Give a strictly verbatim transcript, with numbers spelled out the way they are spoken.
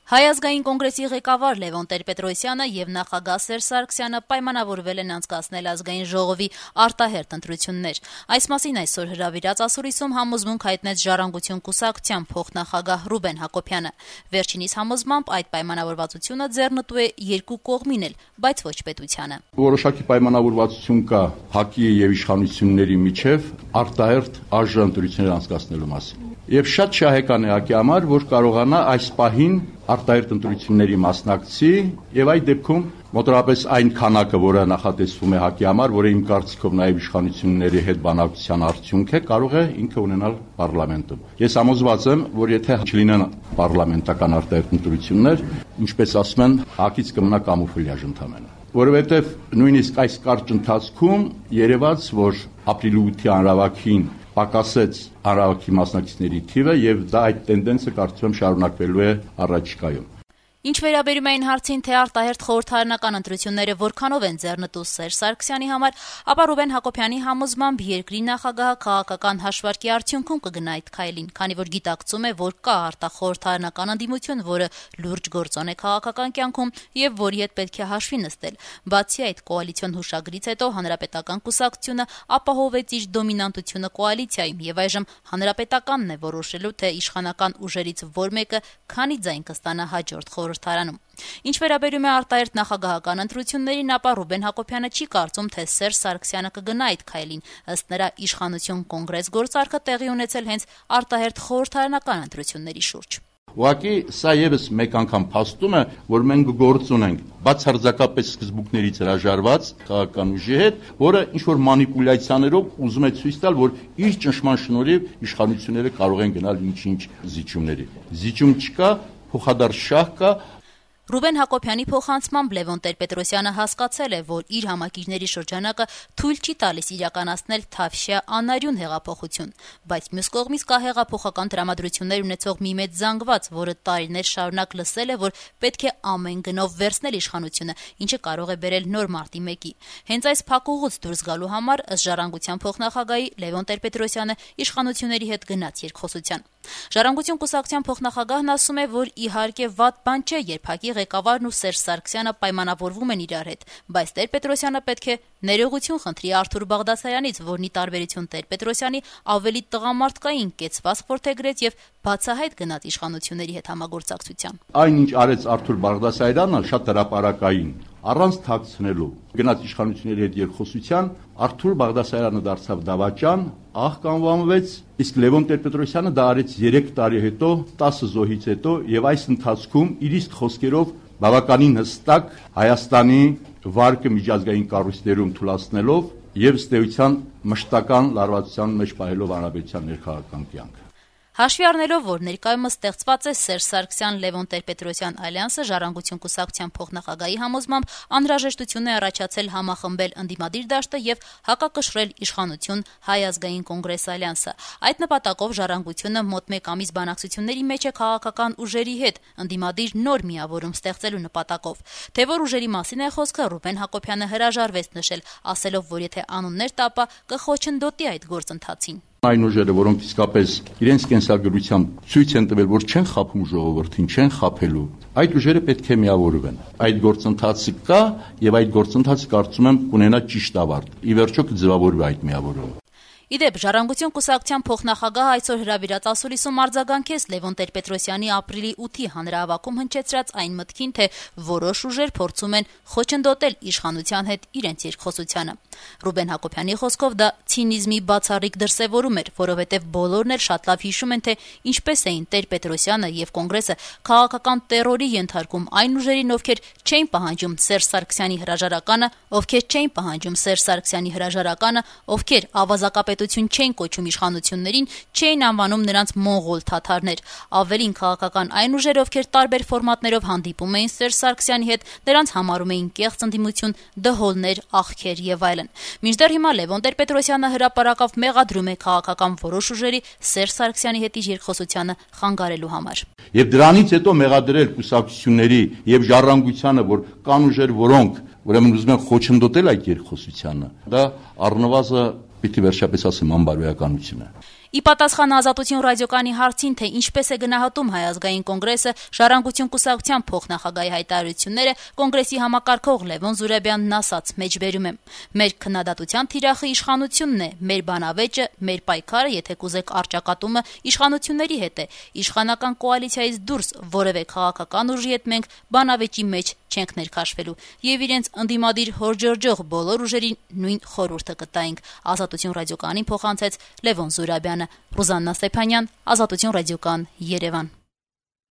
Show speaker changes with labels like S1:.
S1: Հայ ազգային կոնգրեսի ղեկավար Լևոն Տեր-Պետրոսյանը եւ նախագահ Սերժ Սարգսյանը պայմանավորվել են անցկացնել ազգային ժողովի արտահերթ ընտրություններ։ Այս մասին այսօր հրավիրած ասուլիսում համոզմունք հայտնեց Ժառանգություն կուսակցության փոխնախագահ Ռուբեն Հակոբյանը։ Վերջինիս համոզմամբ այդ պայմանավորվածությունը ձեռնտու է երկու կողմին էլ, բայց ոչ պետությանը։
S2: Որոշակի պայմանավորվածություն կա ՀԱԿ-ի եւ իշխանությունների միջև արտահերթ արժան ընտրություններ անցկացնելու մասին։ Եվ շատ շահեկան է ՀԱԿ-ի համար, որ կարողանա այս պահին արտահերթ ընտրությունների մասնակցի եւ այդ դեպքում մոտավորապես այն քանակը, որը նախատեսվում է ՀԱԿ-ի համար, որը իմ կարծիքով նաեւ իշխանությունների հետ բանակցության արդյունք է, կարող է ինքը ունենալ պարլամենտում։ Ես համոզված եմ, որ եթե չլինեն պարլամենտական արտահերթ ընտրություններ, ինչպես ասում են, ՀԱԿ-ից կմնա կամուֆլյաժ ընդամենը։ Որովհետեւ նույնիսկ այս կարճ ընթացքում երևաց, որ ապրիլի ութի հանրահավաքին պակասեց հանրահավաքի մասնակիցների թիվը եւ դա այդ տենդենսը կարծում եմ շարունակվելու է առաջիկայում։
S1: Ինչ վերաբերում է այն հարցին, թե արտահերթ խորհրդարանական ընտրությունները որքանով են ձեռնտու Սերժ Սարգսյանի համար, ապա Ռուբեն Հակոբյանի համոզմամբ երկրի նախագահը քաղաքական հաշվարկի արդյունքում կգնա այդ քայլին, քանի որ գիտակցում է, որ կա արտախորհրդարանական ընդդիմություն, որը լուրջ գործոն է քաղաքական կյանքում եւ որի հետ պետք է հաշվի նստել։ Բացի այդ, կոալիցիոն հուշագրից հետո Հանրապետական կուսակցությունը ապահովեց իր դոմինանտությունը կոալիցիայում եւ այժմ Հանրապետականն է որոշելու, թե իշխանական ուժերից որ մեկը քանի ձայն կստանա հաջորդ խորհրդարանում։ Ինչ վերաբերում է արտահերթ նախագահական ընտրություններին, ապա Ռուբեն Հակոբյանը չի կարծում, թե Սերժ Սարգսյանը կգնա այդ քայլին։ Ըստ նրա, իշխանություն կոնգրես գործարքը տեղի ունեցել հենց արտահերթ խորհրդարանական ընտրությունների շուրջ։
S2: Ուղղակի սա եւս մեկ անգամ փաստում է, որ մենք գործ ունենք բացարձակապես սկզբունքներից հրաժարված քաղաքական ուժի հետ, որը ինչ որ մանիպուլյացիաներով ուզում է ցույց տալ, որ իր ճնշման շնորհիվ իշխանությունները կարող են գնալ ինչ-ինչ զիջումների։ Զիջում չկա, փոխադարձ շահ կա։
S1: Ռուբեն Հակոբյանի փոխանցմամբ Լևոն Տեր-Պետրոսյանը հասկացել է, որ իր համակիրների շրջանակը թույլ չի տալիս իրականացնել թավշյա անարյուն հեղափոխություն, բայց մյուս կողմից կա հեղափոխական տրամադրություններ ունեցող մի մեծ զանգված, որը տարիներ շարունակ լսել է, որ պետք է ամեն գնով վերցնել իշխանությունը, ինչը կարող է բերել նոր մարտի մեկի։ Հենց այս փակուղուց դուրս գալու համար ըստ Ժառանգության փոխնախագահի Լևոն Տեր-Պետրոսյանը իշխանությունների հետ գնաց երկխոսության։ Ժառանգություն կուսակցության փոխնախագահն ասում է, որ իհարկե վատ բան չէ, երբ ՀԱԿ-ի ղեկավարն ու Սերժ Սարգսյանը պայմանավորվում են իրար հետ, բայց Տեր-Պետրոսյանը պետք է ներողություն խնդրի Արթուր Բաղդասարյանից, որն ի տարբերություն Տեր-Պետրոսյանի ավելի տղամարդկային կեցվածք որդեգրեց եւ բացահայտ գնաց իշխանությունների հետ համագործակցության։
S2: Այն ինչ արեց Արթուր Բաղդասարյանը, շատ հրապարակային, առանց թաքցնելու, գնաց իշխանությունների հետ երկխոսության, Արթուր Բաղդասարյանը դարձավ դավաճան, ահ կանվանվեց, իսկ Լևոն Տեր-Պետրոսյանը դա արեց երեք տարի հետո, տասը զոհից հետո եւ այս ընթացքում իր իսկ խոսքերով բավականին հստակ Հայաստանի վարկը միջազգային կառույցներում թույլատնելով եւ ըստ էության մշտական լարվածության մեջ պահելով հանրապետության ներքաղաքական կյանքը։
S1: Հաշվի առնելով, որ ներկայումս ստեղծված է Սերժ Սարգսյան-Լևոն Տեր-Պետրոսյան ալյանսը, Ժառանգություն կուսակցության փոխնախագահի համոզմամբ անհրաժեշտություն է առաջացել համախմբել ընդդիմադիր դաշտը եւ հակակշռել իշխանություն Հայ ազգային կոնգրես ալյանսը։ Այդ նպատակով Ժառանգությունը մոտ մեկ ամիս բանակցությունների մեջ է քաղաքական ուժերի հետ ընդդիմադիր նոր միավորում ստեղծելու նպատակով։ Թե որ ուժերի մասին է խոսքը, Ռուբեն Հակոբյանը հրաժարվեց նշել, ասելով, որ եթե անուններ տա, ապա կխոչընդոտի այդ գործընթացին։
S2: Այն ուժերը, որոնք իսկապես իրենց կենսագրությամբ ցույց են տվել, որ չեն խափում ժողովրդին, չեն խափելու, այդ ուժերը պետք է միավորվեն։ Այդ գործընթացը կա եւ այդ գործընթացը կարծում եմ կունենա ճիշտ ավարտ։ Ի վերջո կձևավորվի այդ միավորումը։
S1: Իդեպ Ժառանգություն կուսակցության փոխնախագահը այսօր հրավիրած ասուլիսում արձագանքեց Լևոն Տեր-Պետրոսյանի ապրիլի ութի հանրահավաքում հնչեցրած այն մտքին, թե որոշ ուժեր փորձում են խոչընդոտել իշխանության հետ իրենց երկխոսությանը։ Ռուբեն Հակոբյանի խոսքով դա ցինիզմի բացառիկ դրսևորում էր, որովհետև բոլորն էլ շատ լավ հիշում են, թե ինչպես էին Տեր-Պետրոսյանը եւ կոնգրեսը քաղաքական տերորի ենթարկում այն ուժերին, ովքեր չէին պահանջում Սերժ Սարգսյանի հրաժարականը, ովքեր չէին պահանջում Սերժ Սարգսյանի հրաժարականը, ովքեր ավազակապետություն չէին կոչում իշխանություններին, չէին անվանում նրանց մոնղոլ թաթարներ։ Ավելին քաղաքական այն ուժերը, ովքեր տարբեր ֆորմատներով հանդիպում էին Սերժ Սարգսյանի հետ, նրանց համարում էին կեղծ ընդդիմություն, դհոլներ, աղքեր եւ այլն։ Մինչդեռ հիմա Լևոն Տեր-Պետրոսյանը հրապարակավ մեղադրում է քաղաքական որոշ ուժերի Սերժ Սարգսյանի հետ իր երկխոսությանը խանգարելու համար։
S2: Եվ դրանից հետո մեղադրել կուսակցությունների եւ ժառանգությանը, որ կան ուժեր, որոնք ուրեմն ուզում են խոչընդոտել այդ երկխոսությանը, դա առնվազն պիտի վերջապես ասեմ անբարոյականություն է։
S1: Ի պատասխան Ազատություն ռադիոկայանի հարցին, թե ինչպես է գնահատում Հայ ազգային կոնգրեսը Ժառանգություն կուսակցության փոխնախագահի հայտարարությունները, կոնգրեսի համակարգող Լևոն Զուրաբյանն ասաց. «Մեջբերում եմ. մեր քննադատության թիրախը իշխանությունն է, մեր բանավեճը, մեր պայքարը, եթե կուզեք առճակատումը իշխանությունների հետ է։ Իշխանական կոալիցիայից դուրս որևէ քաղաքական ուժի հետ մենք բանավեճի մեջ չենք ներքաշվելու եւ իրենց ընդդիմադիր հորջրջող բոլոր ուժերին նույն խորհուրդը կտայինք», Ազատություն ռադիոկայանին փոխանցեց Լևոն Զուրաբյանը։ Ռուզաննա Ստեփանյան, Ազատություն ռադիոկայան, Երևան։